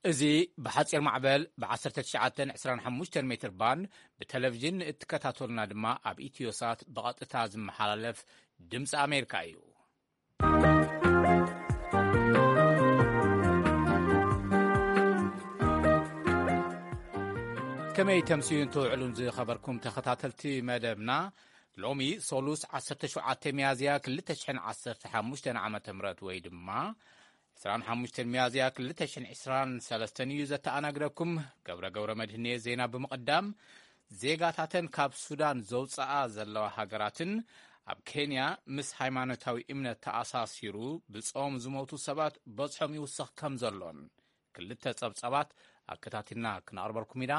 እዚ ብሓጺር ማዕበል ብ1925 ሜትር ባንድ ብቴሌቪዥን እትከታተሉና ድማ ኣብ ኢትዮሳት ብቐጥታ ዝመሓላለፍ ድምፂ ኣሜሪካ እዩ። ከመይ ተምስዩን ትውዕሉን ዝኸበርኩም ተኸታተልቲ መደብና፣ ሎሚ ሶሉስ 17 ሚያዝያ 2015 ዓ ም ወይ ድማ 25 ሚያዝያ 2023 እዩ። ዘተኣናግደኩም ገብረ ገብረ መድህኔ። ዜና ብምቕዳም፣ ዜጋታተን ካብ ሱዳን ዘውፅኣ ዘለዋ ሃገራትን ኣብ ኬንያ ምስ ሃይማኖታዊ እምነት ተኣሳሲሩ ብጾም ዝሞቱ ሰባት በዝሖም ይውስኽ ከም ዘሎን ክልተ ጸብጸባት ኣከታቲልና ክነቕርበልኩም ኢና።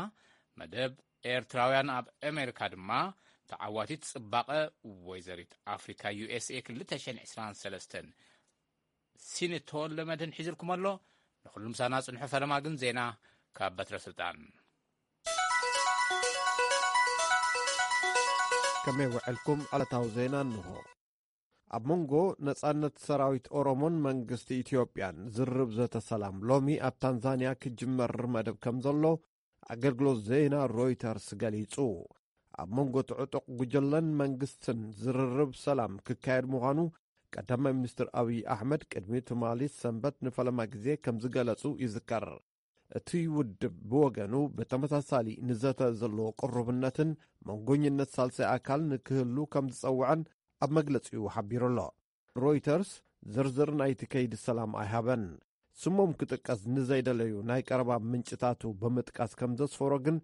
መደብ ኤርትራውያን ኣብ ኣሜሪካ ድማ ተዓዋቲት ጽባቐ ወይዘሪት ኣፍሪካ ዩ ኤስ ኤ 2023 ሲንቶ ለመድን ሒዝልኩም ኣሎ። ንኹሉ ምሳና ጽንሑ። ፈለማ ግን ዜና ካብ በትረ ስልጣን። ከመይ ውዕልኩም? ዕለታዊ ዜና እንሆ። ኣብ መንጎ ነጻነት ሰራዊት ኦሮሞን መንግስቲ ኢትዮጵያን ዝርብ ዘተ ሰላም ሎሚ ኣብ ታንዛንያ ክጅመር መደብ ከም ዘሎ ኣገልግሎት ዜና ሮይተርስ ገሊጹ። ኣብ መንጎ እቲ ዕጡቕ ጉጅለን መንግስትን ዝርርብ ሰላም ክካየድ ምዃኑ ቀዳማይ ሚኒስትር ኣብይ ኣሕመድ ቅድሚ ትማሊ ሰንበት ንፈለማ ግዜ ከም ዝገለጹ ይዝከር። እቲ ውድብ ብወገኑ ብተመሳሳሊ ንዘተ ዘለዎ ቅሩብነትን መንጎኝነት ሳልሳይ ኣካል ንክህሉ ከም ዝጸውዐን ኣብ መግለጺኡ ሓቢሩ ኣሎ። ሮይተርስ ዝርዝር ናይቲ ከይዲ ሰላም ኣይሃበን። ስሞም ክጥቀስ ንዘይደለዩ ናይ ቀረባ ምንጭታቱ ብምጥቃስ ከም ዘስፈሮ ግን፣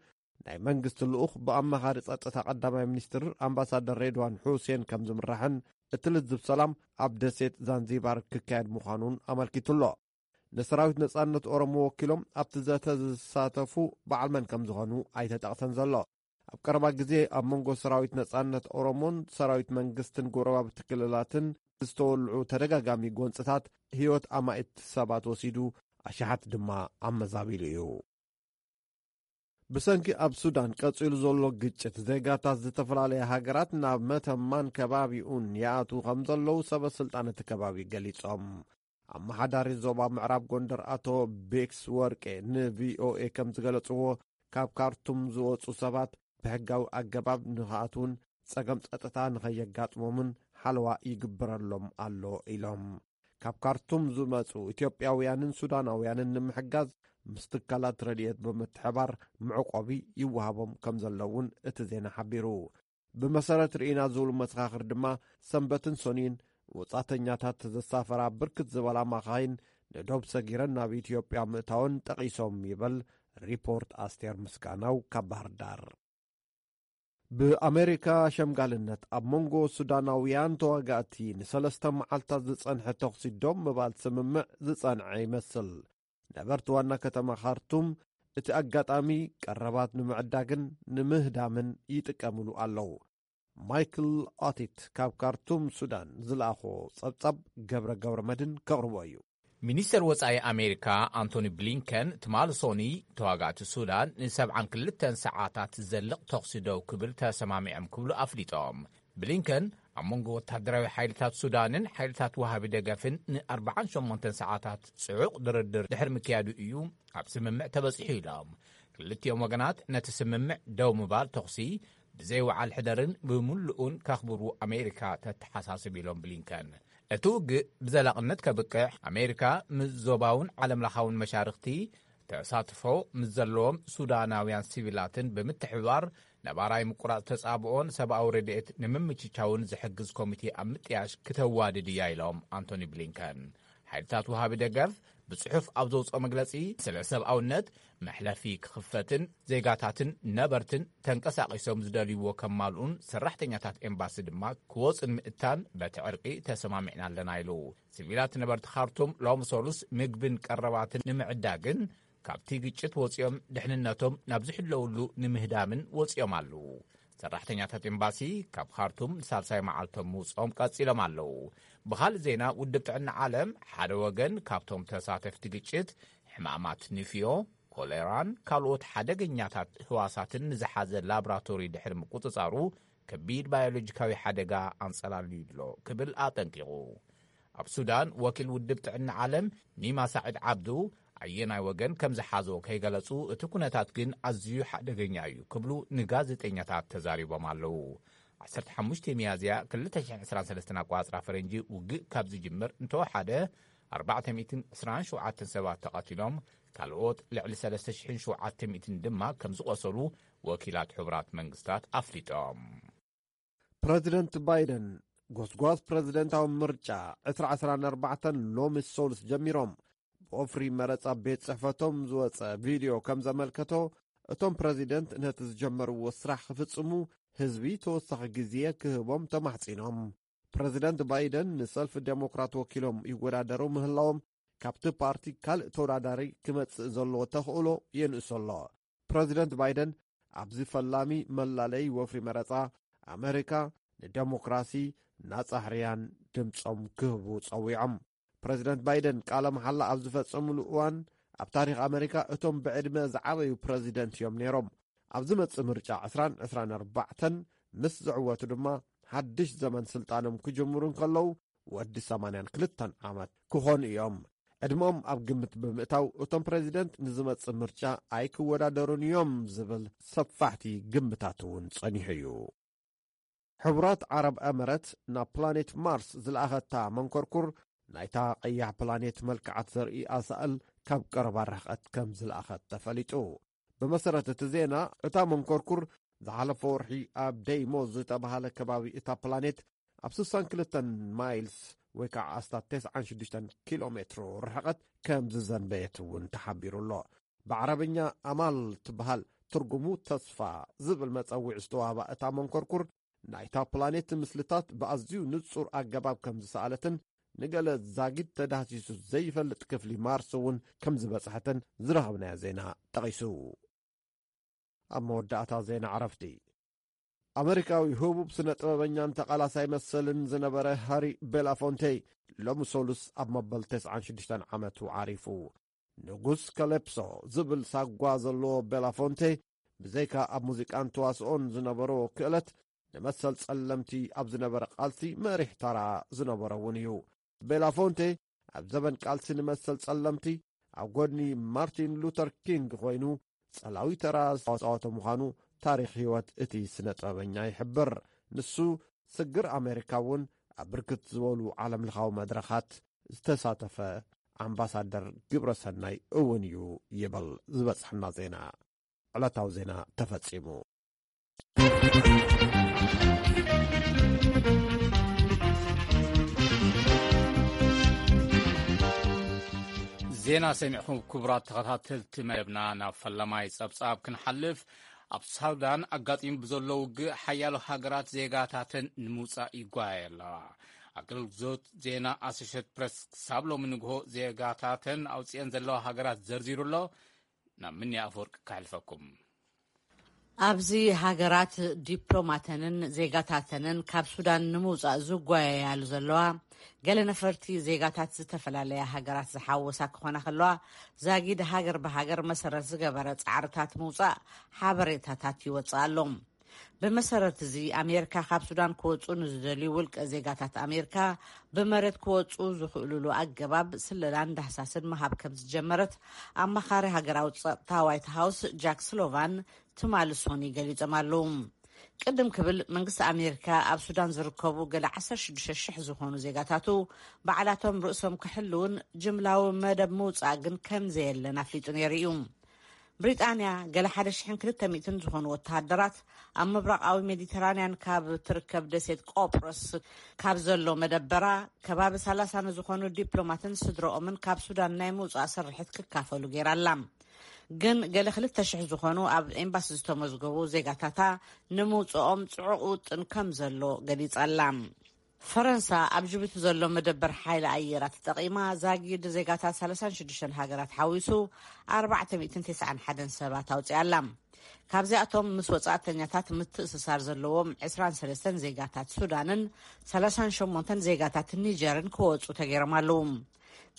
ናይ መንግስቲ ልኡኽ ብኣማኻሪ ጸጥታ ቀዳማይ ሚኒስትር ኣምባሳደር ሬድዋን ሑሴን ከም ዝምራሕን እቲ ልዝብ ሰላም ኣብ ደሴት ዛንዚባር ክካየድ ምዃኑን ኣመልኪቱ ኣሎ። ንሰራዊት ነጻነት ኦሮሞ ወኪሎም ኣብቲ ዘተ ዝሳተፉ በዓል መን ከም ዝኾኑ ኣይተጠቕሰን ዘሎ። ኣብ ቀረባ ግዜ ኣብ መንጎ ሰራዊት ነጻነት ኦሮሞን ሰራዊት መንግስትን ጎረባብቲ ክልላትን ዝተወልዑ ተደጋጋሚ ጎንጽታት ህይወት ኣማኢት ሰባት ወሲዱ፣ ኣሽሓት ድማ ኣመዛቢሉ እዩ። ብሰንኪ ኣብ ሱዳን ቀጺሉ ዘሎ ግጭት፣ ዜጋታት ዝተፈላለያ ሃገራት ናብ መተማን ከባቢኡን ይኣትዉ ከም ዘለዉ ሰበ ስልጣን እቲ ከባቢ ገሊጾም። ኣመሓዳሪ ዞባ ምዕራብ ጎንደር ኣቶ ቤክስ ወርቄ ንቪኦኤ ከም ዝገለጽዎ፣ ካብ ካርቱም ዝወጹ ሰባት ብሕጋዊ ኣገባብ ንኽኣትዉን ጸገም ጸጥታ ንኸየጋጥሞምን ሓለዋ ይግበረሎም ኣሎ ኢሎም። ካብ ካርቱም ዝመጹ ኢትዮጵያውያንን ሱዳናውያንን ንምሕጋዝ ምስ ትካላት ረድኤት ብምትሕባር መዕቆቢ ይወሃቦም ከም ዘሎ እውን እቲ ዜና ሓቢሩ። ብመሰረት ርኢና ዝብሉ መሰኻኽር ድማ፣ ሰንበትን ሰኑይን ወጻእተኛታት ዘሳፈራ ብርክት ዝበላ ማኻይን ንዶብ ሰጊረን ናብ ኢትዮጵያ ምእታወን ጠቒሶም ይበል ሪፖርት ኣስቴር ምስጋናው ካብ ባህር ዳር። ብኣሜሪካ ሸምጋልነት ኣብ መንጎ ሱዳናውያን ተዋጋእቲ ንሰለስተ መዓልታት ዝጸንሐ ተኹሲ ደው ምባል ስምምዕ ዝጸንዐ ይመስል። ነበርቲ ዋና ከተማ ካርቱም እቲ ኣጋጣሚ ቀረባት ንምዕዳግን ንምህዳምን ይጥቀምሉ ኣለዉ። ማይክል ኦቲት ካብ ካርቱም ሱዳን ዝለኣኾ ጸብጻብ ገብረ ገብረ መድን ከቕርቦ እዩ። ሚኒስተር ወጻኢ ኣሜሪካ ኣንቶኒ ብሊንከን ትማሊ ሶኒ ተዋጋእቲ ሱዳን ን72 ሰዓታት ዝዘልቕ ተኹሲ ደው ክብል ተሰማሚዖም ክብሉ ኣፍሊጦም። ብሊንከን ኣብ መንጎ ወታደራዊ ሓይልታት ሱዳንን ሓይልታት ወሃቢ ደገፍን ን48 ሰዓታት ጽዑቕ ድርድር ድሕሪ ምክያዱ እዩ ኣብ ስምምዕ ተበጺሑ ኢሎም። ክልቲኦም ወገናት ነቲ ስምምዕ ደው ምባል ተኹሲ ብዘይ ወዓል ሕደርን ብምሉኡን ከኽብሩ ኣሜሪካ ተተሓሳስብ ኢሎም ብሊንከን። እቲ ውግእ ብዘላቕነት ከብቅዕ ኣሜሪካ ምስ ዞባውን ዓለምለኻውን መሻርኽቲ ተሳትፎ ምስ ዘለዎም ሱዳናውያን ሲቪላትን ብምትሕብባር ነባራይ ምቁራጽ ተጻብኦን ሰብኣዊ ረድኤት ንምምችቻውን ዝሕግዝ ኮሚቴ ኣብ ምጥያሽ ክተዋድድ እያ ኢሎም ኣንቶኒ ብሊንከን። ሓይልታት ወሃቢ ደገፍ ብጽሑፍ ኣብ ዘውጽኦ መግለጺ፣ ስለ ሰብኣውነት መሕለፊ ክኽፈትን ዜጋታትን ነበርትን ተንቀሳቒሶም ዝደልይዎ ከማልኡን ሰራሕተኛታት ኤምባሲ ድማ ክወጹን ምእታን በቲ ዕርቂ ተሰማሚዕና ኣለና ኢሉ። ሲቪላት ነበርቲ ካርቱም ሎም ሶሉስ ምግብን ቀረባትን ንምዕዳግን ካብቲ ግጭት ወጺኦም ድሕንነቶም ናብ ዝሕለውሉ ንምህዳምን ወጺኦም ኣለዉ። ሰራሕተኛታት ኤምባሲ ካብ ካርቱም ንሳልሳይ መዓልቶም ምውጽኦም ቀጺሎም ኣለዉ። ብኻልእ ዜና፣ ውድብ ጥዕና ዓለም ሓደ ወገን ካብቶም ተሳተፍቲ ግጭት ሕማማት ንፍዮ፣ ኮሌራን ካልኦት ሓደገኛታት ህዋሳትን ንዝሓዘ ላብራቶሪ ድሕሪ ምቁጽጻሩ፣ ከቢድ ባዮሎጂካዊ ሓደጋ ኣንጸላልዩ ኣሎ ክብል ኣጠንቂቑ። ኣብ ሱዳን ወኪል ውድብ ጥዕና ዓለም ኒማ ሳዒድ ዓብዱ፣ ኣየናይ ወገን ከም ዝሓዞ ከይገለጹ፣ እቲ ኩነታት ግን ኣዝዩ ሓደገኛ እዩ ክብሉ ንጋዜጠኛታት ተዛሪቦም ኣለዉ። ዓሰርተ ሓሙሽተ ሚያዝያ ክልተ ሽሕን ዕስራን ሰለስተን ኣቋጽራ ፈረንጂ ውግእ ካብ ዝጅምር እንተወሓደ ኣርባዕተ ሚእትን ዕስራን ሸውዓተን ሰባት ተቐቲሎም፣ ካልኦት ልዕሊ ሰለስተ ሽሕን ሸውዓተ ሚእትን ድማ ከም ዝቖሰሉ ወኪላት ሕቡራት መንግስታት ኣፍሊጦም። ፕረዚደንት ባይደን፣ ጎስጓስ ፕረዚደንታዊ ምርጫ ዕስራ ዕስራን ኣርባዕተን ሎሚ ሰሉስ ጀሚሮም። ብወፍሪ መረጻ ቤት ጽሕፈቶም ዝወጸ ቪድዮ ከም ዘመልከቶ፣ እቶም ፕረዚደንት ነቲ ዝጀመርዎ ስራሕ ክፍጽሙ ህዝቢ ተወሳኺ ግዜ ክህቦም ተማሕጺኖም። ፕረዚደንት ባይደን ንሰልፊ ዴሞክራት ወኪሎም ይወዳደሩ ምህላዎም፣ ካብቲ ፓርቲ ካልእ ተወዳዳሪ ክመጽእ ዘለዎ ተኽእሎ የንእሶ ኣሎ። ፕረዚደንት ባይደን ኣብዚ ፈላሚ መላለይ ወፍሪ መረጻ፣ ኣመሪካ ንደሞክራሲ ናጻ ሕርያን ድምጾም ክህቡ ጸዊዖም። ፕረዚደንት ባይደን ቃለ መሓላ ኣብ ዝፈጸሙሉ እዋን፣ ኣብ ታሪኽ ኣመሪካ እቶም ብዕድመ ዝዓበዩ ፕረዚደንት እዮም ነይሮም። ኣብ ዝመጽእ ምርጫ ዕስራን ዕስራን ኣርባዕተን ምስ ዝዕወቱ ድማ፣ ሓድሽ ዘመን ስልጣኖም ክጅምሩ እንከለዉ፣ ወዲ ሰማንያን ክልተን ዓመት ክኾኑ እዮም። ዕድመኦም ኣብ ግምት ብምእታው፣ እቶም ፕረዚደንት ንዝመጽእ ምርጫ ኣይክወዳደሩን እዮም ዝብል ሰፋሕቲ ግምታት እውን ጸኒሑ እዩ። ሕቡራት ዓረብ ኤመረት ናብ ፕላኔት ማርስ ዝለኣኸታ መንኮርኩር፣ ናይታ ቀያሕ ፕላኔት መልክዓት ዘርኢ ኣሳእል ካብ ቀረባ ርሕቀት ከም ዝለኣኸት ተፈሊጡ። ብመሰረት እቲ ዜና፣ እታ መንኮርኩር ዝሓለፈ ወርሒ ኣብ ደይሞ ዝተባህለ ከባቢ እታ ፕላኔት ኣብ ስሳን ክልተን ማይልስ ወይ ከዓ ኣስታት ተስዓን ሽዱሽተን ኪሎ ሜትሮ ርሕቐት ከም ዝዘንበየት እውን ተሓቢሩ ኣሎ። ብዓረብኛ ኣማል ትበሃል፣ ትርጉሙ ተስፋ ዝብል መጸውዒ ዝተዋህባ እታ መንኮርኩር፣ ናይታ ፕላኔት ምስልታት ብኣዝዩ ንጹር ኣገባብ ከም ዝሰኣለትን ንገለ ዛጊድ ተዳህሲሱ ዘይፈልጥ ክፍሊ ማርስ እውን ከም ዝበጽሐትን ዝረኸብናዮ ዜና ጠቒሱ። ኣብ መወዳእታ ዜና ዕረፍቲ፣ ኣመሪካዊ ህቡብ ስነ ጥበበኛን ተቓላሳይ መሰልን ዝነበረ ሃሪ ቤላፎንቴ ሎሚ ሰሉስ ኣብ መበል ተስዓን ሽዱሽተን ዓመቱ ዓሪፉ። ንጉስ ከለፕሶ ዝብል ሳጓ ዘለዎ ቤላፎንቴ፣ ብዘይካ ኣብ ሙዚቃን ተዋስኦን ዝነበሮ ክእለት፣ ንመሰል ጸለምቲ ኣብ ዝነበረ ቃልሲ መሪሕ ተራ ዝነበሮ እውን እዩ። ቤላፎንቴ ኣብ ዘበን ቃልሲ ንመሰል ጸለምቲ ኣብ ጎድኒ ማርቲን ሉተር ኪንግ ኮይኑ ጸላዊ ተራ ዝተጻወተ ምዃኑ ታሪኽ ህይወት እቲ ስነ ጥበበኛ ይሕብር። ንሱ ስግር ኣሜሪካ እውን ኣብ ብርክት ዝበሉ ዓለምለኻዊ መድረኻት ዝተሳተፈ ኣምባሳደር ግብረ ሰናይ እውን እዩ ይብል ዝበጽሐና ዜና። ዕለታዊ ዜና ተፈጺሙ። ዜና ሰሚዕኹም ክቡራት ተኸታተልቲ መደብና፣ ናብ ፈለማይ ጸብጻብ ክንሓልፍ፣ ኣብ ሳውዳን ኣጋጢሙ ብዘሎ ውግእ ሓያሎ ሃገራት ዜጋታተን ንምውጻእ ይጓየ ኣለዋ። ኣገልግሎት ዜና ኣሶሼትድ ፕሬስ ክሳብ ሎሚ ንግሆ ዜጋታተን ኣውጽኤን ዘለዋ ሃገራት ዘርዚሩ ኣሎ። ናብ ምንያ ኣፈወርቂ ከሕልፈኩም። ኣብዚ ሃገራት ዲፕሎማተንን ዜጋታተንን ካብ ሱዳን ንምውጻእ ዝጓየያሉ ዘለዋ፣ ገለ ነፈርቲ ዜጋታት ዝተፈላለያ ሃገራት ዝሓወሳ ክኾና ከለዋ፣ ዛጊድ ሃገር ብሃገር መሰረት ዝገበረ ጻዕርታት ምውጻእ ሓበሬታታት ይወጽእ ኣሎ። ብመሰረት እዚ፣ ኣሜሪካ ካብ ሱዳን ክወጹ ንዝደልዩ ውልቀ ዜጋታት ኣሜሪካ ብመሬት ክወጹ ዝኽእሉሉ ኣገባብ ስለላን ዳህሳስን ምሃብ ከም ዝጀመረት ኣማኻሪ ሃገራዊ ጸጥታ ዋይት ሃውስ ጃክ ስሎቫን ትማሊ ሶኒ ገሊጾም ኣለዉ። ቅድም ክብል መንግስቲ ኣሜሪካ ኣብ ሱዳን ዝርከቡ ገለ ዓሰርተ ሽዱሽተ ሽሕ ዝኾኑ ዜጋታቱ ባዕላቶም ርእሶም ክሕልውን ጅምላዊ መደብ ምውጻእ ግን ከም ዘየለን ኣፍሊጡ ነይሩ እዩ። ብሪጣንያ ገለ ሓደ ሽሕን ክልተ ሚእትን ዝኾኑ ወተሃደራት ኣብ ምብራቓዊ ሜዲተራንያን ካብ ትርከብ ደሴት ቆጵሮስ ካብ ዘሎ መደበራ ከባቢ ሰላሳ ንዝኾኑ ዲፕሎማትን ስድረኦምን ካብ ሱዳን ናይ ምውጻእ ስርሒት ክካፈሉ ገይራ ኣላ። ግን ገለ ክልተ ሽሕ ዝኾኑ ኣብ ኤምባሲ ዝተመዝገቡ ዜጋታታ ንምውጽኦም ጽዑቕ ውጥን ከም ዘሎ ገሊጻ ኣላ። ፈረንሳ ኣብ ጅቡቲ ዘሎ መደበር ሓይሊ ኣየራ ተጠቒማ ዛጊድ ዜጋታት ሰላሳን ሽዱሽተን ሃገራት ሓዊሱ ኣርባዕተ ሚእትን ተስዓን ሓደን ሰባት ኣውጺኣ ኣላ። ካብዚኣቶም ምስ ወጻእተኛታት ምትእስሳር ዘለዎም ዕስራን ሰለስተን ዜጋታት ሱዳንን ሰላሳን ሸሞንተን ዜጋታት ኒጀርን ክወጹ ተገይሮም ኣለዉ።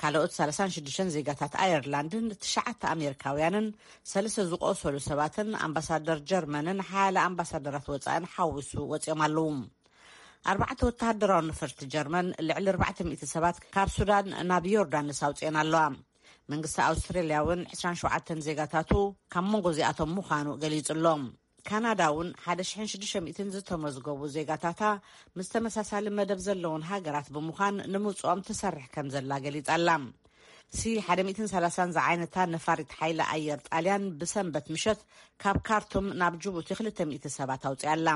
ካልኦት ሰላሳን ሽዱሽተን ዜጋታት ኣየርላንድን ትሽዓተ ኣሜሪካውያንን ሰለስተ ዝቆሰሉ ሰባትን ኣምባሳደር ጀርመንን ሓያለ ኣምባሳደራት ወጻእን ሓዊሱ ወጺኦም ኣለዉ። ኣርባዕተ ወተሃደራዊ ነፈርቲ ጀርመን ልዕሊ ኣርባዕተ ሚእቲ ሰባት ካብ ሱዳን ናብ ዮርዳኖስ ኣውጺኤን ኣለዋ። መንግስቲ ኣውስትራልያ እውን ዕስራን ሸውዓተን ዜጋታቱ ካብ መንጎ እዚኣቶም ምዃኑ ገሊጹ ኣሎ። ካናዳ እውን ሓደ ሽሕን ሽዱሽተ ሚእትን ዝተመዝገቡ ዜጋታታ ምስ ተመሳሳሊ መደብ ዘለውን ሃገራት ብምዃን ንምውጽኦም ትሰርሕ ከም ዘላ ገሊጻ ኣላ። ሲ ሓደ ሚእትን ሰላሳን ዝዓይነታ ነፋሪት ሓይሊ ኣየር ጣልያን ብሰንበት ምሸት ካብ ካርቱም ናብ ጅቡቲ ክልተ ሚእቲ ሰባት ኣውጽያ ኣላ።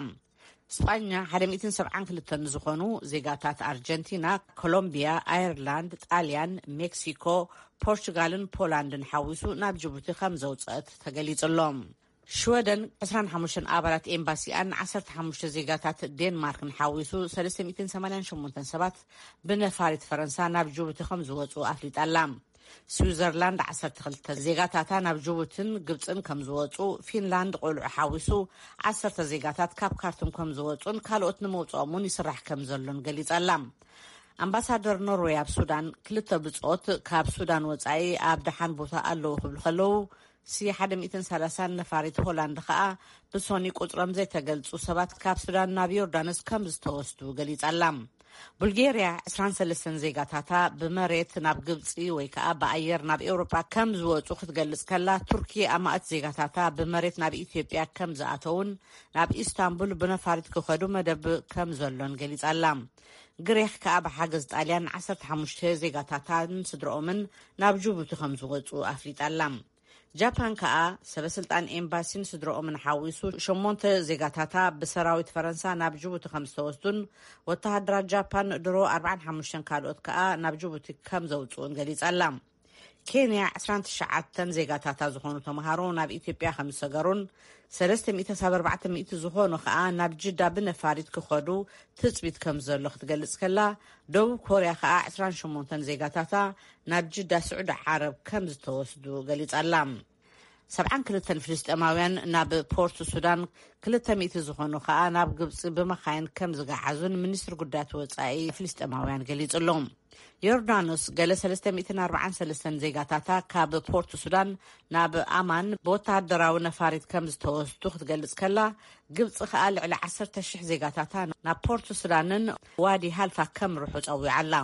ስጳኛ ሓደ ሚእትን ሰብዓን ክልተን ዝኾኑ ዜጋታት ኣርጀንቲና፣ ኮሎምቢያ፣ ኣየርላንድ፣ ጣልያን፣ ሜክሲኮ፣ ፖርቹጋልን ፖላንድን ሓዊሱ ናብ ጅቡቲ ከም ዘውፅአት ተገሊጹ ኣሎ። ሽወደን ዕስራን ሓሙሽተን ኣባላት ኤምባሲኣን ዓሰርተ ሓሙሽተ ዜጋታት ዴንማርክን ሓዊሱ ሰለስተ ሚእትን ሰማንያን ሸሞንተን ሰባት ብነፋሪት ፈረንሳ ናብ ጅቡቲ ከም ዝወፁ ኣፍሊጣ ኣላ። ስዊዘርላንድ ዓሰርተ ክልተ ዜጋታታ ናብ ጅቡትን ግብፅን ከም ዝወፁ፣ ፊንላንድ ቆልዑ ሓዊሱ ዓሰርተ ዜጋታት ካብ ካርቱም ከም ዝወፁን ካልኦት ንመውፅኦም እውን ይስራሕ ከም ዘሎን ገሊፃ ኣላ። ኣምባሳደር ኖርዌይ ኣብ ሱዳን ክልተ ብፆት ካብ ሱዳን ወፃኢ ኣብ ደሓን ቦታ ኣለዉ ክብሉ ከለዉ፣ ሲ ሓደ ሚእትን ሰላሳን ነፋሪት ሆላንድ ከኣ ብሶኒ ቁፅሮም ዘይተገልፁ ሰባት ካብ ሱዳን ናብ ዮርዳኖስ ከም ዝተወስዱ ገሊፃ ኣላ። ቡልጌርያ ዕስራን ሰለስተን ዜጋታታ ብመሬት ናብ ግብፂ ወይ ከኣ ብኣየር ናብ ኤውሮጳ ከም ዝወፁ ክትገልጽ ከላ፣ ቱርኪ ኣማእት ዜጋታታ ብመሬት ናብ ኢትዮጵያ ከም ዝኣተውን ናብ ኢስታንቡል ብነፋሪት ክኸዱ መደብ ከም ዘሎን ገሊጻ ኣላ። ግሪኽ ከኣ ብሓገዝ ጣልያን ዓሰርተ ሓሙሽተ ዜጋታታን ስድረኦምን ናብ ጅቡቲ ከም ዝወፁ ኣፍሊጣ ኣላ። ጃፓን ከኣ ሰበ ስልጣን ኤምባሲን ስድረኦምን ሓዊሱ ሸሞንተ ዜጋታታ ብሰራዊት ፈረንሳ ናብ ጅቡቲ ከም ዝተወስዱን ወተሃደራት ጃፓን ድሮ ኣርባዓን ሓሙሽተን ካልኦት ከኣ ናብ ጅቡቲ ከም ዘውፅኡን ገሊጻ ኣላ። ኬንያ ዕስራን ትሽዓተን ዜጋታታ ዝኾኑ ተምሃሮ ናብ ኢትዮጵያ ከም ዝሰገሩን ሰለስተ ሚእቲ ክሳብ ኣርባዕተ ሚእቲ ዝኾኑ ከኣ ናብ ጅዳ ብነፋሪት ክኸዱ ትጽቢት ከም ዘሎ ክትገልጽ ከላ፣ ደቡብ ኮርያ ከኣ ዕስራን ሸሞንተን ዜጋታታ ናብ ጅዳ ስዑዲ ዓረብ ከም ዝተወስዱ ገሊጻ ኣላ። ሰብዓን ክልተን ፍልስጤማውያን ናብ ፖርት ሱዳን፣ ክልተ ሚእቲ ዝኾኑ ከኣ ናብ ግብጺ ብመኻይን ከም ዝገዓዙን ሚኒስትሪ ጉዳያት ወጻኢ ፍልስጤማውያን ገሊጹ ኣሎ። ዮርዳኖስ ገለ ሰለስተ ሚእትን ኣርባዓን ሰለስተን ዜጋታታ ካብ ፖርት ሱዳን ናብ ኣማን ብወተሃደራዊ ነፋሪት ከም ዝተወስዱ ክትገልጽ ከላ፣ ግብጺ ከኣ ልዕሊ ዓሰርተ ሽሕ ዜጋታታ ናብ ፖርት ሱዳንን ዋዲ ሃልፋ ከምርሑ ጸዊዓ ኣላ።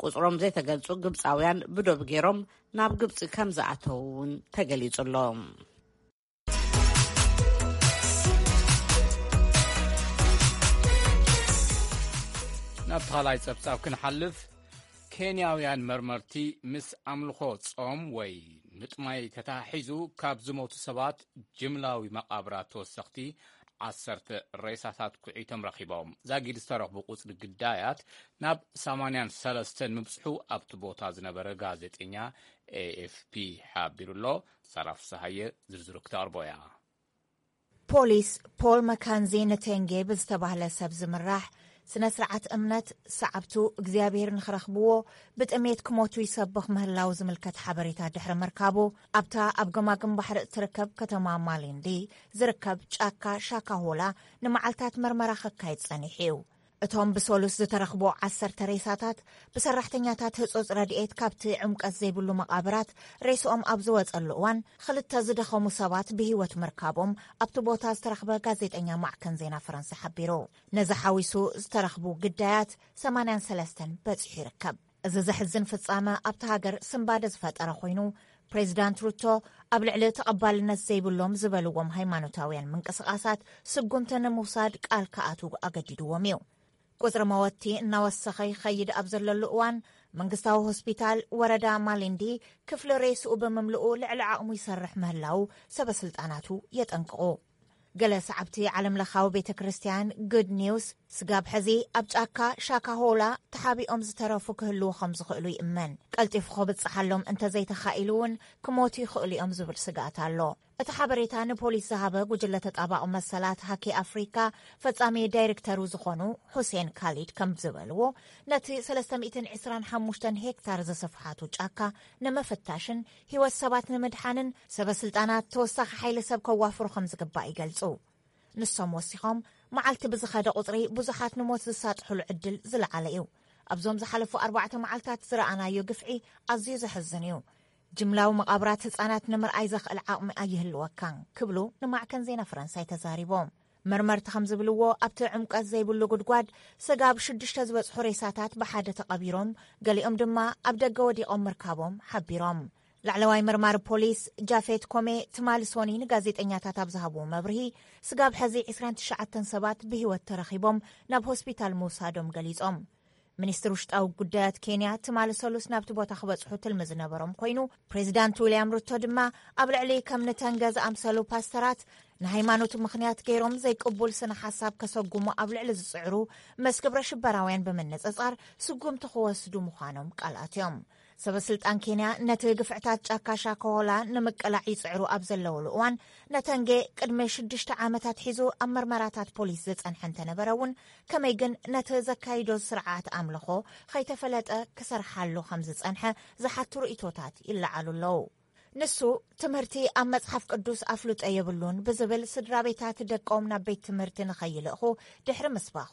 ቁጽሮም ዘይተገልጹ ግብጻውያን ብዶብ ገይሮም ናብ ግብጺ ከም ዝኣተዉ እውን ተገሊጹ ኣሎ። ናብ ካልኣይ ጸብጻብ ክንሓልፍ፣ ኬንያውያን መርመርቲ ምስ ኣምልኾ ጾም ወይ ምጥማይ ተተሓሒዙ ካብ ዝሞቱ ሰባት ጅምላዊ መቓብራት ተወሰኽቲ ዓሰርተ ሬሳታት ኩዒቶም ረኺቦም። ዛጊድ ዝተረኽቡ ቁጽሪ ግዳያት ናብ ሰማንያን ሰለስተን ምብጽሑ ኣብቲ ቦታ ዝነበረ ጋዜጠኛ ኤ ኤፍ ፒ ሓቢሩ ኣሎ። ሳራ ፍስሃየ ዝርዝሩ ክተቕርቦ እያ። ፖሊስ ፖል መካንዚ ንቴንጌ ብዝተባህለ ሰብ ዝምራሕ ስነ ስርዓት እምነት፣ ሰዓብቱ እግዚኣብሔር ንኽረኽብዎ ብጥሜት ክሞቱ ይሰብኽ ምህላው ዝምልከት ሓበሬታ ድሕሪ ምርካቡ፣ ኣብታ ኣብ ገማግም ባሕሪ እትርከብ ከተማ ማሊንዲ ዝርከብ ጫካ ሻካሆላ ንመዓልታት መርመራ ከካይድ ጸኒሑ እዩ። እቶም ብሰሉስ ዝተረኽቡ ዓሰርተ ሬሳታት ብሰራሕተኛታት ህጹጽ ረድኤት ካብቲ ዕምቀት ዘይብሉ መቓብራት ሬስኦም ኣብ ዝወጸሉ እዋን፣ ክልተ ዝደኸሙ ሰባት ብህይወት ምርካቦም ኣብቲ ቦታ ዝተረኽበ ጋዜጠኛ ማዕከን ዜና ፈረንሳ ሓቢሩ። ነዚ ሓዊሱ ዝተረኽቡ ግዳያት ሰማንያን ሰለስተን በጺሑ ይርከብ። እዚ ዘሕዝን ፍጻመ ኣብቲ ሃገር ስንባደ ዝፈጠረ ኮይኑ፣ ፕሬዚዳንት ሩቶ ኣብ ልዕሊ ተቐባልነት ዘይብሎም ዝበልዎም ሃይማኖታውያን ምንቅስቓሳት ስጉምቲ ንምውሳድ ቃል ክኣትዉ ኣገዲድዎም እዩ። ቁጽሪ መወቲ እናወሰኸ ይኸይድ ኣብ ዘለሉ እዋን፣ መንግስታዊ ሆስፒታል ወረዳ ማሊንዲ ክፍሊ ሬስኡ ብምምልኡ ልዕሊ ዓቕሙ ይሰርሕ ምህላው ሰበ ስልጣናቱ የጠንቅቑ። ገለ ሰዓብቲ ዓለምለኻዊ ቤተ ክርስቲያን ጉድ ኒውስ፣ ስጋብ ሕዚ ኣብ ጫካ ሻካሆላ ተሓቢኦም ዝተረፉ ክህልዉ ከም ዝኽእሉ ይእመን። ቀልጢፉ ክብጽሓሎም እንተዘይተኻኢሉ እውን ክሞቱ ይኽእሉ እዮም ዝብል ስግኣት ኣሎ። እቲ ሓበሬታ ንፖሊስ ዝሃበ ጉጅለ ተጣባቒ መሰላት ሃኪ ኣፍሪካ ፈጻሚ ዳይሬክተሩ ዝኾኑ ሁሴን ካሊድ ከም ዝበልዎ፣ ነቲ ሰለስተ ሚእትን ዕስራን ሓሙሽተን ሄክታር ዘሰፍሓቱ ጫካ ንምፍታሽን ህይወት ሰባት ንምድሓንን ሰበ ስልጣናት ተወሳኺ ሓይሊ ሰብ ከዋፍሩ ከም ዝግባእ ይገልጹ። ንሶም ወሲኾም፣ መዓልቲ ብዝኸደ ቁጽሪ ብዙሓት ንሞት ዝሳጥሑሉ ዕድል ዝለዓለ እዩ። ኣብዞም ዝሓለፉ ኣርባዕተ መዓልታት ዝረኣናዮ ግፍዒ ኣዝዩ ዘሕዝን እዩ። ጅምላዊ መቓብራት ህጻናት ንምርኣይ ዘኽእል ዓቕሚ ኣይህልወካን ክብሉ ንማዕከን ዜና ፈረንሳይ ተዛሪቦም። መርመርቲ ከም ዝብልዎ፣ ኣብቲ ዕምቀት ዘይብሉ ጉድጓድ ስጋብ ሽዱሽተ ዝበጽሑ ሬሳታት ብሓደ ተቐቢሮም፣ ገሊኦም ድማ ኣብ ደገ ወዲቖም ምርካቦም ሓቢሮም። ላዕለዋይ መርማሪ ፖሊስ ጃፌት ኮሜ ትማሊ ሶኒ ንጋዜጠኛታት ኣብ ዝሃብዎ መብርሂ፣ ስጋብ ሕዚ ዕስራን ትሽዓተን ሰባት ብህይወት ተረኺቦም ናብ ሆስፒታል ምውሳዶም ገሊጾም። ሚኒስትር ውሽጣዊ ጉዳያት ኬንያ ትማሊ ሰሉስ ናብቲ ቦታ ክበጽሑ ትልሚ ዝነበሮም ኮይኑ፣ ፕሬዚዳንት ዊልያም ሩቶ ድማ ኣብ ልዕሊ ከም ንተንገ ዝኣምሰሉ ፓስተራት ንሃይማኖት ምኽንያት ገይሮም ዘይቅቡል ስነ ሓሳብ ከሰጉሙ ኣብ ልዕሊ ዝጽዕሩ ምስ ግብረ ሽበራውያን ብምንጽጻር ስጉምቲ ክወስዱ ምዃኖም ቃል ኣትዮም። ሰበ ስልጣን ኬንያ ነቲ ግፍዕታት ጫካ ሻካሆላ ንምቅላዕ ይጽዕሩ ኣብ ዘለውሉ እዋን፣ ነተንጌ ቅድሚ ሽዱሽተ ዓመታት ሒዙ ኣብ መርመራታት ፖሊስ ዝጸንሐ እንተነበረ እውን፣ ከመይ ግን ነቲ ዘካይዶ ስርዓት ኣምልኾ ከይተፈለጠ ክሰርሓሉ ከም ዝጸንሐ ዝሓቱ ርእይቶታት ይለዓሉ ኣለዉ። ንሱ፣ ትምህርቲ ኣብ መጽሓፍ ቅዱስ ኣፍልጦ የብሉን ብዝብል፣ ስድራ ቤታት ደቆም ናብ ቤት ትምህርቲ ንኸይልእኹ ድሕሪ ምስባኹ፣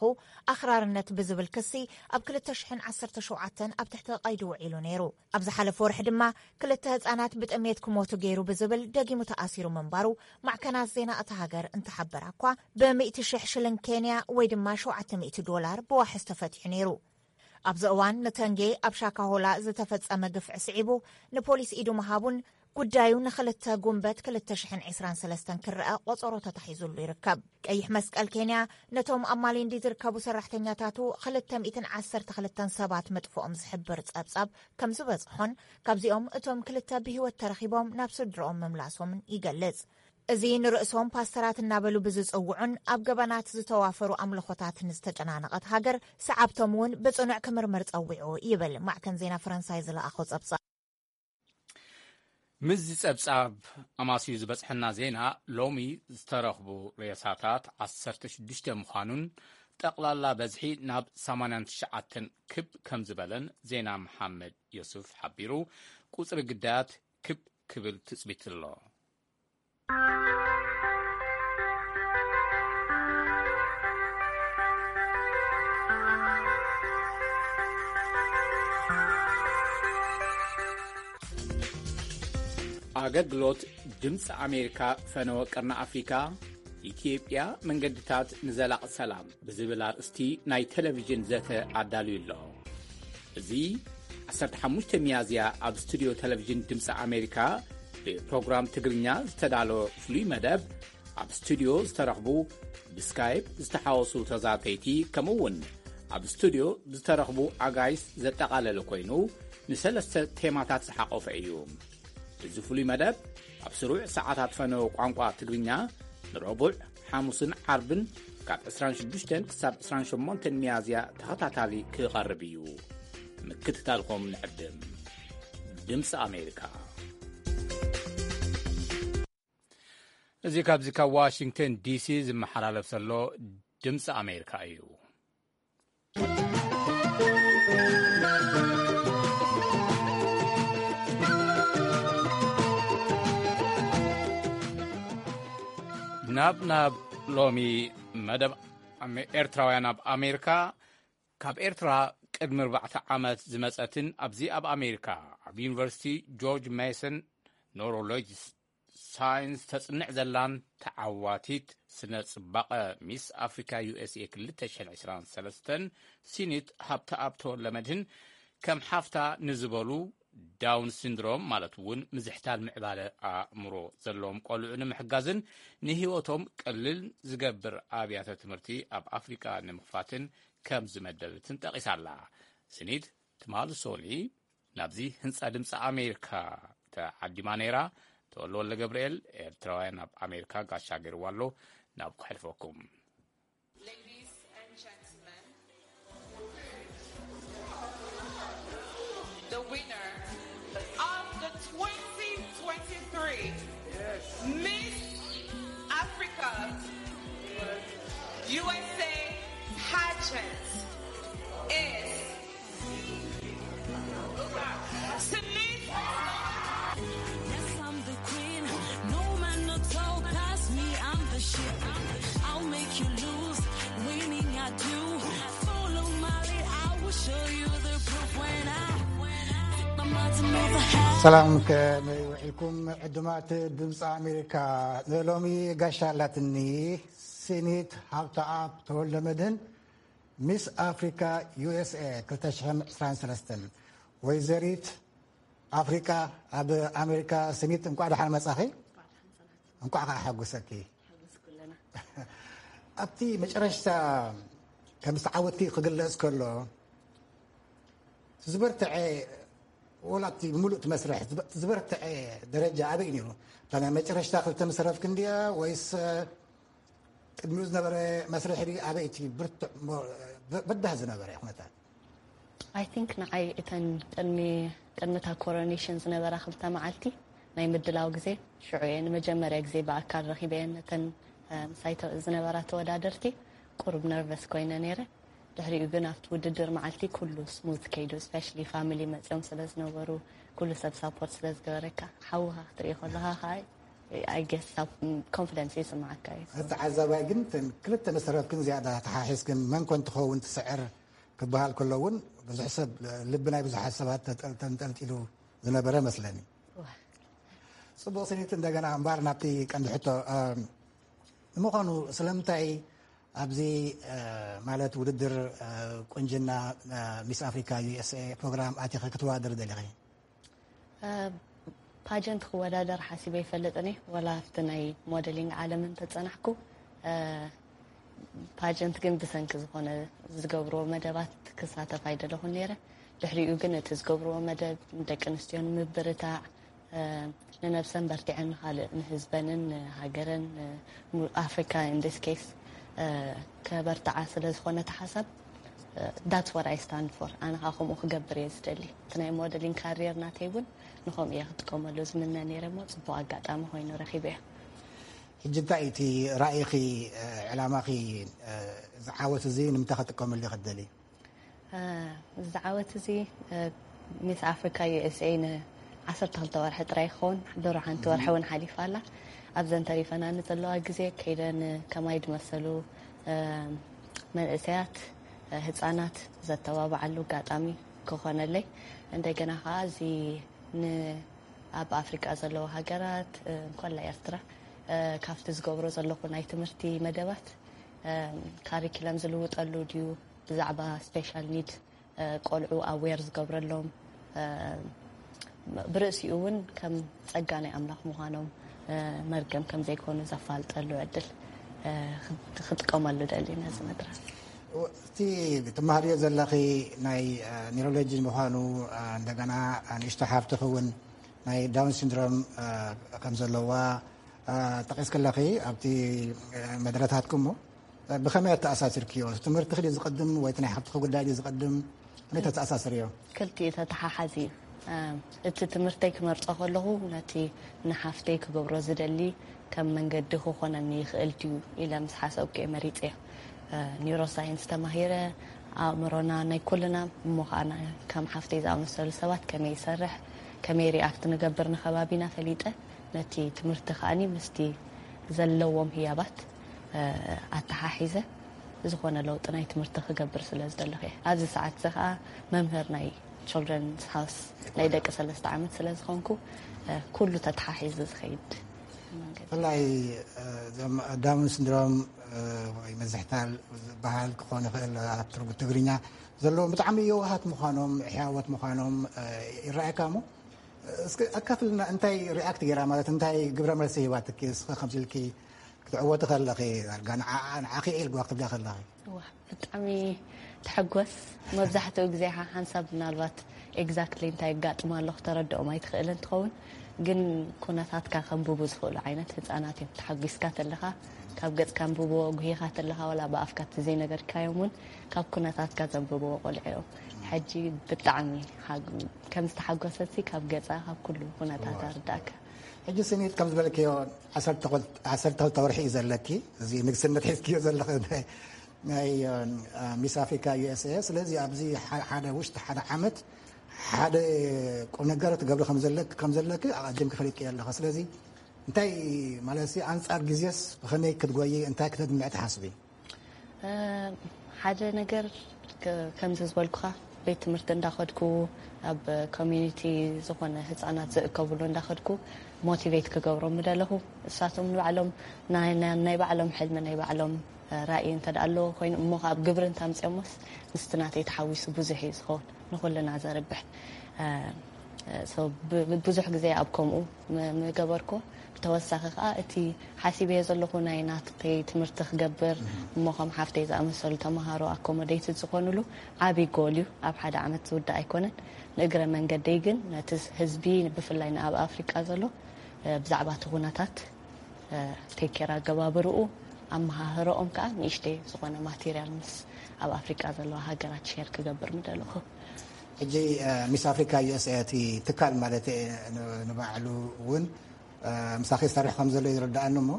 ኣኽራርነት ብዝብል ክሲ ኣብ ክልተ ሽሕን ዓሰርተ ሸውዓተን ኣብ ትሕቲ ቀይዲ ውዒሉ ነይሩ። ኣብ ዝሓለፈ ወርሒ ድማ ክልተ ህጻናት ብጥሜት ክሞቱ ገይሩ ብዝብል ደጊሙ ተኣሲሩ ምንባሩ ማዕከናት ዜና እታ ሃገር እንተሓበራ እኳ፣ ብሚእቲ ሽሕ ሽልን ኬንያ ወይ ድማ ሸውዓተ ሚእቲ ዶላር ብዋሕስ ተፈቲሑ ነይሩ። ኣብዚ እዋን ንተንጌ ኣብ ሻካሆላ ዝተፈጸመ ግፍዒ ስዒቡ ንፖሊስ ኢዱ ምሃቡን ጉዳዩ ንክልተ ጉንበት ክልተ ሽሕን ዕስራን ሰለስተን ክረኣ ቆጸሮ ተታሒዙሉ ይርከብ። ቀይሕ መስቀል ኬንያ ነቶም ኣብ ማሊንዲ ዝርከቡ ሰራሕተኛታቱ ክልተ ሚእትን ዓሰርተ ክልተን ሰባት ምጥፍኦም ዝሕብር ጸብጻብ ከም ዝበጽሖን፣ ካብዚኦም እቶም ክልተ ብህይወት ተረኺቦም ናብ ስድርኦም ምምላሶምን ይገልጽ። እዚ ንርእሶም ፓስተራት እናበሉ ብዝጽውዑን ኣብ ገበናት ዝተዋፈሩ ኣምልኾታት ንዝተጨናነቐት ሃገር፣ ሰዓብቶም እውን ብጽኑዕ ክምርመር ጸዊዑ ይብል ማዕከን ዜና ፈረንሳይ ዝለኣኾ ጸብጻብ። ምስዚ ጸብጻብ ኣማስዩ ዝበጽሐና ዜና፣ ሎሚ ዝተረኽቡ ሬሳታት ዓሰርተ ሽዱሽተ ምዃኑን፣ ጠቕላላ በዝሒ ናብ ሰማንያን ትሽዓተን ክብ ከም ዝበለን ዜና መሓመድ ዮሱፍ ሓቢሩ። ቁጽሪ ግዳያት ክብ ክብል ትጽቢት ኣሎ። ኣገልግሎት ድምፂ ኣሜሪካ ፈነወ ቀርኒ ኣፍሪካ፣ ኢትዮጵያ መንገድታት ንዘላቒ ሰላም ብዝብል ኣርእስቲ ናይ ቴሌቪዥን ዘተ ኣዳልዩ ኣሎ። እዚ ዓሰርተ ሓሙሽተ ሚያዝያ ኣብ ስቱድዮ ቴሌቪዥን ድምፂ ኣሜሪካ ብፕሮግራም ትግርኛ ዝተዳለወ ፍሉይ መደብ፣ ኣብ ስቱድዮ ዝተረኽቡ ብስካይፕ ዝተሓወሱ ተዛተይቲ፣ ከምኡ እውን ኣብ ስቱድዮ ዝተረኽቡ ኣጋይሽ ዘጠቓለለ ኮይኑ፣ ንሰለስተ ቴማታት ዝሓቖፈ እዩ። እዚ ፍሉይ መደብ ኣብ ስሩዕ ሰዓታት ፈነወ ቋንቋ ትግርኛ ንረቡዕ፣ ሓሙስን ዓርብን ካብ ዕስራን ሽዱሽተን ክሳብ ዕስራን ሸሞንተን ሚያዝያ ተኸታታሊ ክቐርብ እዩ። ምክትታልኩም ንዕድም። ድምፂ ኣሜሪካ። እዚ ካብዚ ካብ ዋሽንግተን ዲሲ ዝመሓላለፍ ዘሎ ድምፂ ኣሜሪካ እዩ። ናብ፣ ናብ ሎሚ መደብ ኣሜ-፣ ኤርትራውያን ኣብ ኣሜሪካ። ካብ ኤርትራ ቅድሚ ኣርባዕተ ዓመት ዝመጸትን ኣብዚ ኣብ ኣሜሪካ ኣብ ዩኒቨርሲቲ ጆርጅ ሜሰን ኖሮሎጂ ሳይንስ ተጽንዕ ዘላን ተዓዋቲት ስነ ጽባቐ ሚስ ኣፍሪካ ዩ ኤስ ኤ ክልተ ሽሕን ዕስራን ሰለስተን ሲኒት ሃብተኣብ ተወልደመድህን፣ ከም ሓፍታ ንዝበሉ ዳውን ሲንድሮም ማለት እውን ምዝሕታል ምዕባለ ኣእምሮ ዘለዎም ቆልዑ ንምሕጋዝን ንህይወቶም ቅልል ዝገብር ኣብያተ ትምህርቲ ኣብ ኣፍሪካ ንምኽፋትን ከም ዝመደበትን ጠቒሳ ኣላ። ሲኒት ትማሊ ሶኒ ናብዚ ህንጻ ድምፂ ኣሜሪካ ተዓዲማ ነይራ። ተወልደ ወልደ ገብርኤል፣ ኤርትራውያን ኣብ ኣሜሪካ ጋሻ ገይርዋ ኣሎ። ናብ ከሕልፈኩም። Ladies and gentlemen, the winner of the twenty twenty-three Miss Africa U S A pageant is Shanice. Yes, I'm the queen. No man no talk past me. I'm the shit. I'll make you lose. Winning I do. Follow my lead. I will show you the proof when I. ሰላም፣ ከመይ ውዒልኩም ዕዱማት ድምፂ ኣሜሪካ? ንሎሚ ጋሻ ኣላትኒ ሲኒት ሃብተኣብ ተወልደ መድህን፣ ሚስ ኣፍሪካ ዩ ኤስ ኤ ክልተ ሽሕን ዕስራን ሰለስተን። ወይዘሪት ኣፍሪቃ ኣብ ኣሜሪካ። ስኒት፣ እንኳዕ ደሓን መጻኺ። እንኳዕ ከዓ ሓጎሰኪ። ኣብቲ መጨረሽታ ከም ዝተዓወትኪ ክግለጽ ከሎ፣ ዝበርትዐ፣ ወላ እቲ ብምሉእ እቲ መስርሕ ዝበ-፣ ዝበርትዐ ደረጃ ኣበይ ነይሩ? እታ ናይ መጨረሽታ ክልተ ምስ ተረፍኪ እንድያ ወይስ ቅድሚኡ ዝነበረ መስርሕ ድዩ? ኣበይ እቲ ብርቱዕ ሞ-፣ በ-፣ በዳህ ዝነበረ ኩነታት? I think ንዓይ እተን ቅድሚ፣ ቅድሚ እታ ኮሮኔሽን ዝነበራ ክልተ መዓልቲ ናይ ምድላው ግዜ፣ ሽዑ እየ ንመጀመርያ ግዜ ብኣካል ረኺበየን ነተን፣ እ፣ ምሳይ ተ-፣ ዝነበራ ተወዳደርቲ። ቁሩብ ነርቨስ ኮይነ ነይረ። ድሕሪኡ ግን ኣብቲ ውድድር መዓልቲ ኩሉ ስሙዝ ከይዱ፣ ስፔሻሊ ፋሚሊ መፅዮም ስለ ዝነበሩ፣ ኩሉ ሰብ ሳፖርት ስለ ዝገበረካ፣ ሓውኻ ክትርኢ ከለኻ ከዓ፣ I guess፣ ኮንፊደንስ ይስምዓካ እዩ። እቲ ተዓዛባይ ግን እተን ክልተ ምስ ተረፍክን ዝያዳ ተሓሒዝክን መን ኮን ትኸውን ትስዕር ክበሃል ከሎ እውን ብዙሕ ሰብ፣ ልቢ ናይ ብዙሓት ሰባት ተጠል-፣ ተንጠልጢሉ ዝነበረ መስለኒ። ጽቡቕ ስኒት፣ እንደገና እምበኣር ናብቲ ቀንዲ ሕቶ፣ እ፣ ንምዃኑ ስለምንታይ ኣብዚ፣ እ፣ ማለት ውድድር፣ እ፣ ቁንጅና፣ እ፣ ሚስ ኣፍሪካ ዩ ኤስ ኤ ፕሮግራም ኣቲኺ ክትወዳደሪ ደሊኺ? እ፣ ፓጀንት ክወዳደር ሓሲበ ይፈልጥን እየ፣ ወላ ኣብቲ ናይ ሞደሊንግ ዓለም እንተጸናሕኩ፣ እ፣ ፓጀንት ግን ብሰንኪ ዝኾነ ዝገብርዎ መደባት ክሳተፍ ኣይደለኹን ነይረ። ድሕሪኡ ግን እቲ ዝገብርዎ መደብ ንደቂ ኣንስትዮ ንምብርታዕ፣ እ፣ ንነብሰን በርቲዐን ንኻልእ ንህዝበንን ንሃገረን፣ እ፣ ሙ-፣ ኣፍሪካ in this case፣ እ፣ ከበርትዓ ስለ ዝኾነ እቲ ሓሳብ፣ እ፣ that's what I stand for። ኣነ ኸዓ ከምኡ ክገብር እየ ዝደሊ። እቲ ናይ ሞደሊንግ ካሪየር ናተይ እውን ንኸምኡ እየ ክጥቀመሉ ዝምነ ነይረ እሞ፣ ጽቡቕ ኣጋጣሚ ኮይኑ ረኺበዮ። ሕጂ እንታይ እቲ ራእይኺ፣ እ፣ ዕላማኺ፣ እ፣ ዝዓወት እዚ ንምንታይ ክጥቀመሉ ክትደሊ? እ፣ እዚ ዓወት እዚ፣ እ፣ ሚስ ኣፍሪካ ዩ ኤስ ኤ ንዓሰርተ ክልተ ወርሒ ጥራይ ይኸውን። ድሮ ሓንቲ ወርሒ እውን ሓሊፋ ኣላ። ኣብዘን ተሪፈናኒ ዘለዋ ግዜ ከይደን ከማይ ዝመሰሉ፣ እ፣ መንእሰያት፣ እ፣ ህፃናት ዘተባብዓሉ ኣጋጣሚ ክኾነለይ፣ እንደገና ከዓ እዚ ን-፣ ኣብ ኣፍሪቃ ዘለዋ ሃገራት፣ እ፣ እንኮላ ኤርትራ፣ እ፣ ካብቲ ዝገብሮ ዘለኹ ናይ ትምህርቲ መደባት፣ እ፣ ካሪኪለም ዝልውጠሉ ድዩ፣ ብዛዕባ ስፔሻል ኒድ፣ እ፣ ቆልዑ ኣዌር ዝገብረሎም፣ እ፣ ብርእሲኡ እውን ከም ጸጋ ናይ ኣምላኽ ምዃኖም፣ እ፣ መርገም ከም ዘይኮኑ ዘፋልጠሉ ዕድል፣ እ፣ ክጥቀመሉ ደሊ ነዚ መድረኽ። እቲ ትመሃርዮ ዘለኺ ናይ፣ እ፣ ኒውሮሎጂ ምዃኑ፣ እ፣ እንደገና ንእሽቶ ሓፍትኺ እውን ናይ ዳውን ሲንድሮም፣ እ፣ ከም ዘለዋ፣ እ፣ ጠቒስክለኺ ኣብቲ፣ እ፣ መደረታትኩም እሞ፣ እ፣ ብኸመይ ኣተኣሳሲርክዮ? ትምህርትኺ ድዩ ዝቐድም ወይ እቲ ናይ ሓፍትኺ ጉዳይ ድዩ ዝቐድም? ከመይ ተተኣሳስርዮ? ክልቲኡ ተተሓሓዚ እዩ። እ፣ እቲ ትምህርተይ ክመርጾ ከለኹ ነቲ ንሓፍተይ ክገብሮ ዝደሊ ከም መንገዲ ክኾነኒ ይኽእል ድዩ ኢለ ምስ ሓሰብኩ እየ መሪጸዮ። እ፣ ኒውሮሳይንስ ተማሂረ፣ ኣእምሮና ናይ ኩልና እሞ ኸኣ ና-፣ ከም ሓፍተይ ዝኣመሰሉ ሰባት ከመይ ይሰርሕ፣ ከመይ ሪኣክት ንገብር ንኸባቢና ፈሊጠ፣ ነቲ ትምህርቲ ከኣኒ ምስቲ ዘለዎም ህያባት፣ እ፣ ኣተሓሒዘ ዝኾነ ለውጢ ናይ ትምህርቲ ክገብር ስለ ዝደለኹ እየ። ኣብዚ ሰዓት እዚ ከኣ መምህር ናይ ችልድረንስ ሃውስ ናይ ደቂ ሰለስተ ዓመት ስለ ዝኾንኩ፣ እ፣ ኩሉ ተተሓሒዙ ዝኸይድ መንገዲ። ብፍላይ፣ እ፣ እዞም ዳውን ሲንድሮም፣ እ፣ ወይ መዝሕታል ዝበሃል ክኾን ይኽእል፣ ኣብ ትርጉ-፣ ትግርኛ ዘለዎም ብጣዕሚ የዋሃት ምዃኖም፣ ሕያዎት ምዃኖም፣ እ፣ ይረኣየካ እሞ፣ እስኪ ኣካፍልና፣ እንታይ ሪኣክት ገይራ፣ ማለት እንታይ ግብረ መልሲ ሂባትኪ? እስኺ ከምዚ ኢልኪ ክትዕወቲ ከለኺ፣ ዳርጋ ንዓ-፣ ንዓኺ እየ ኢልዋ ክትብላ ከለኺ? እዋ፣ ብጣዕሚ ትሕጎስ። መብዛሕትኡ ግዜ ሓ-፣ ሓንሳብ ምናልባት ኤግዛክትሊ እንታይ የጋጥም ኣሎ ክተረድኦም ኣይትኽእልን ትኸውን፣ ግን ኩነታትካ ከንብቡ ዝኽእሉ ዓይነት ህፃናት እዮም። ተሓጒስካ ተለኻ ካብ ገፅካ ኣንብብዎ፣ ጉሂኻ ተለኻ ዋላ ብኣፍካ እቲ ዘይነገርካዮም እውን ካብ ኩነታትካ ዘንብብዎ ቆልዑ እዮም። ሕጂ ብጣዕሚ ሓግ-፣ ከም ዝተሓጎሰትሲ ካብ ገፃ፣ ካብ ኩሉ ኩነታታ ርዳእካ። ሕጂ ስኒት ከም ዝበልክዮ ዓሰርተ ክልተ፣ ዓሰርተ ክልተ ወርሒ እዩ ዘለኪ። እዚ ንግስነት ሒዝክዮ ዘለኺ ናይ፣ ናይ፣ እ፣ ሚስ ኣፍሪካ ዩ ኤስ ኤ። ስለዚ ኣብዚ ሓ-፣ ሓደ ውሽጢ ሓደ ዓመት ሓደ ቁም ነገር ትገብሪ ከም ዘለክ-፣ ከም ዘለኪ ኣቐዲምኪ ፈሊጥክዮ ኣለኺ። ስለዚ እንታይ ማለት ሲ፣ ኣንጻር ግዜስ ብኸመይ ክትጎዪ፣ እንታይ ክተድምዒ ትሓስቢ? እ፣ ሓደ ነገር ከ-፣ ከምዚ ዝበልኩኻ ቤት ትምህርቲ እንዳኸድኩ ኣብ ኮሚዩኒቲ ዝኾነ ህፃናት ዝእከብሉ እንዳኸድኩ ሞቲቬት ክገብሮም ምደለኹ። እሳቶም ንባዕሎም ናይ፣ ናይ፣ ናይ ባዕሎም ሕልሚ ናይ ባዕሎም፣ እ፣ ራእይ እንተ ደኣ ኣለዎ ኮይኑ እሞ ካብ ግብሪ እንተ ኣምፅኦሞስ ምስቲ ናተይ ተሓዊሱ ብዙሕ እዩ ዝኸውን ንኹልና ዘርብሕ። እ፣ ብዙሕ ግዜ ኣብ ከምኡ ምገበርኩ። ብተወሳኺ ከዓ እቲ ሓሲበዮ ዘለኹ ናይ ናትከይ ትምህርቲ ክገብር እሞ ከም ሓፍተይ ዝኣመሰሉ ተምሃሮ ኣኮሞዴይትድ ዝኾኑሉ ዓብዪ ጎል እዩ። ኣብ ሓደ ዓመት ዝውዳእ ኣይኮነን። ንእግረ መንገደይ ግን ነቲ ህዝቢ ብፍላይ ንኣብ ኣፍሪቃ ዘሎ ብዛዕባ እቲ ኩነታት ቴኬር ኣገባብርኡ ኣመሃህረኦም ከዓ ንእሽተይ ዝኾነ ማቴሪያል ምስ ኣብ ኣፍሪቃ ዘለዋ ሃገራት ሼር ክገብር ምደለኹ። ሕጂ ሚስ ኣፍሪካ ዩኤስኤ እቲ ትካል ማለት ንባዕሉ እውን ምሳኺ ዝሰርሕ ከም ዘሎ ይርዳኣኒ እሞ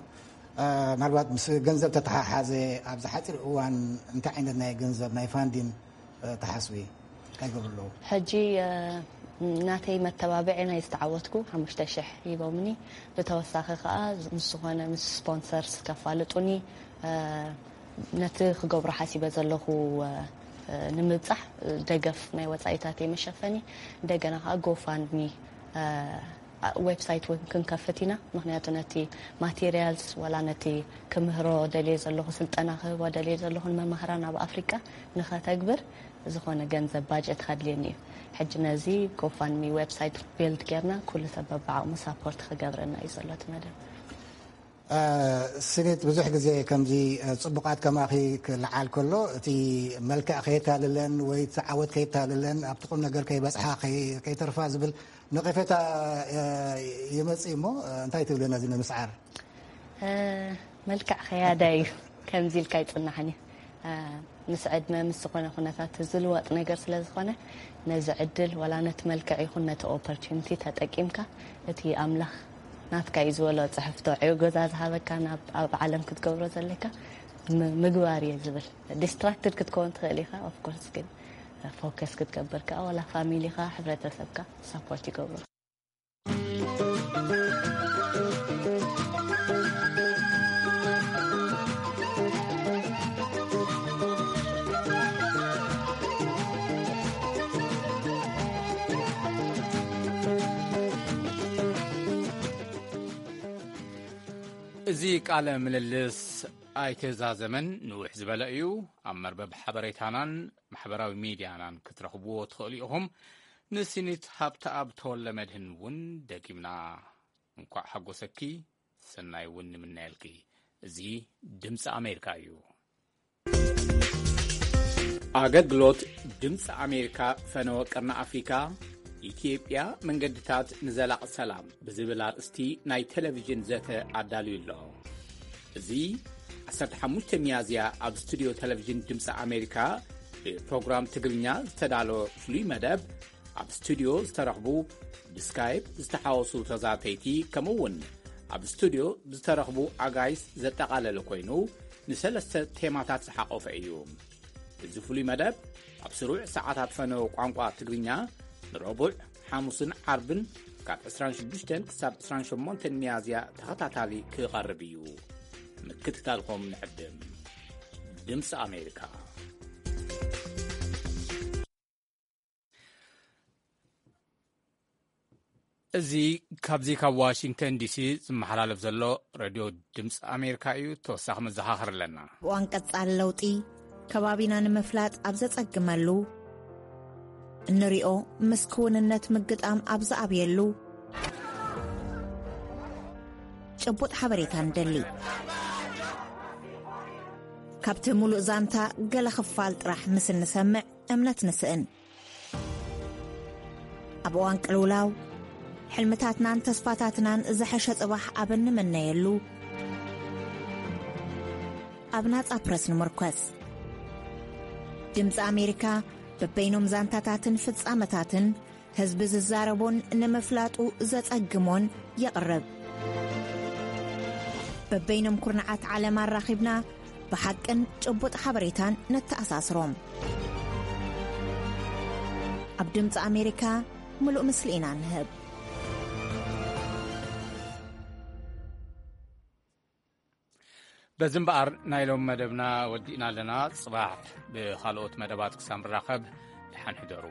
ምናልባት ምስ ገንዘብ ተተሓሓዘ ኣብዚ ሓፂር እዋን እንታይ ዓይነት ናይ ገንዘብ ናይ ፋንዲን ተሓስቢ እንታይ ይገብሩ ኣለዉ? ሕጂ ናተይ መተባብዒ ናይ ዝተዓወትኩ ሓሙሽተ ሽሕ ሂቦምኒ። ብተወሳኺ ከዓ ምስ ዝኾነ ምስ ስፖንሰርስ ከፋልጡኒ ነቲ ክገብሮ ሓሲበ ዘለኹ ንምብፃሕ ደገፍ ናይ ወፃኢታተይ መሸፈኒ እንደገና ከዓ ጎፋንድሚ ዌብሳይት እውን ክንከፍት ኢና። ምክንያቱ ነቲ ማቴሪያልስ ዋላ ነቲ ክምህሮ ደልየ ዘለኹ ስልጠና ክህቦ ደልየ ዘለኹ ንመማህራን ኣብ ኣፍሪቃ ንኸተግብር ዝኾነ ገንዘብ ባጀት ከድልየኒ እዩ። ሕጂ ነዚ ጎፋንሚ ዌብሳይት ቢልድ ጌርና ኩሉ ሰብ በብዓቕሙ ሳፖርት ክገብረና እዩ ዘሎ እቲ መደብ። ስኒት ብዙሕ ግዜ ከምዚ ፅቡቃት ከማኺ ክልዓል ከሎ እቲ መልክዕ ከየታልለን ወይ እቲ ዓወት ከየታልለን ኣብቲ ቁም ነገር ከይበፅሓ ከይተርፋ ዝብል ነቐፌታ ይመፅእ እሞ እንታይ ትብሊ ነዚ ንምስዓር? መልክዕ ከያዳ እዩ ከምዚ ኢልካ ይፅናሕን እዩ። ምስ ዕድመ ምስ ዝኾነ ኩነታት ዝልወጥ ነገር ስለ ዝኾነ ነዚ ዕድል ዋላ ነቲ መልክዕ ይኹን ነቲ ኦፖርቹኒቲ ተጠቂምካ እቲ ኣምላኽ ናትካ እዩ ዝበሎ ፅሕፍቶ ዕዮ ገዛ ዝሃበካ ናብ ኣብ ዓለም ክትገብሮ ዘለካ ምግባር እየ ዝብል። ዲስትራክትድ ክትከውን ትኽእል ኢኻ ኦፍኮርስ፣ ግን ፎከስ ክትገብር ከዓ ዋላ ፋሚሊኻ ሕብረተሰብካ ሳፖርት ይገብሩ። እዚ ቃለ ምልልስ ኣይተዛዘመን፣ ንውሕ ዝበለ እዩ። ኣብ መርበብ ሓበሬታናን ማሕበራዊ ሚድያናን ክትረኽብዎ ትኽእሉ ኢኹም። ንሲኒት ሃብተኣብ ተወልደ መድህን እውን ደጊምና እንኳዕ ሓጎሰኪ፣ ሰናይ እውን ንምነየልኪ። እዚ ድምፂ ኣሜሪካ እዩ። ኣገልግሎት ድምፂ ኣሜሪካ ፈነወ ቀርኒ ኣፍሪካ፣ ኢትዮጵያ መንገድታት ንዘላቕ ሰላም ብዝብል ኣርእስቲ ናይ ቴሌቪዥን ዘተ ኣዳልዩ ኣሎ። እዚ ዓሰርተ ሓሙሽተ ሚያዝያ ኣብ ስቱድዮ ቴሌቪዥን ድምፂ ኣሜሪካ ብፕሮግራም ትግርኛ ዝተዳለወ ፍሉይ መደብ ኣብ ስቱድዮ ዝተረኽቡ ብስካይፕ ዝተሓወሱ ተዛተይቲ ከምኡ እውን ኣብ ስቱድዮ ዝተረኽቡ ኣጋይስ ዘጠቓለለ ኮይኑ ንሰለስተ ቴማታት ዝሓቆፈ እዩ። እዚ ፍሉይ መደብ ኣብ ስሩዕ ሰዓታት ፈነወ ቋንቋ ትግርኛ ንረቡዕ፣ ሓሙስን ዓርብን ካብ ዕስራን ሽዱሽተን ክሳብ ዕስራን ሸሞንተን ሚያዝያ ተኸታታሊ ክቐርብ እዩ። ምክትታልኩም ንዕድም። ድምፂ ኣሜሪካ። እዚ ካብዚ ካብ ዋሽንግተን ዲሲ ዝመሓላለፍ ዘሎ ሬድዮ ድምፂ ኣሜሪካ እዩ። ተወሳኺ መዘኻኸር ኣለና። እዋን ቀጻሊ ለውጢ ከባቢና ንምፍላጥ ኣብ ዘጸግመሉ፣ እንሪኦ ምስ ክውንነት ምግጣም ኣብ ዝኣብየሉ፣ ጭቡጥ ሓበሬታ ንደሊ። ካብቲ ሙሉእ ዛንታ ገለ ክፋል ጥራሕ ምስ እንሰምዕ እምነት ንስእን። ኣብ እዋን ቅልውላው፣ ሕልምታትናን ተስፋታትናን ዝሐሸ ጽባሕ ኣብ እንምነየሉ፣ ኣብ ናጻ ፕረስ ንምርኮስ። ድምጺ ኣሜሪካ በበይኖም ዛንታታትን ፍጻመታትን ህዝቢ ዝዛረቦን ንምፍላጡ ዘጸግሞን የቕርብ። በበይኖም ኩርናዓት ዓለም ኣራኺብና ብሓቅን ጭቡጥ ሓበሬታን ነተኣሳስሮም። ኣብ ድምፂ ኣሜሪካ ምሉእ ምስሊ ኢና ንህብ። በዚ እምበኣር ናይ ሎም መደብና ወዲእና ኣለና። ጽባሕ ብኻልኦት መደባት ክሳብ ንራኸብ ደሓን ሕደሩ።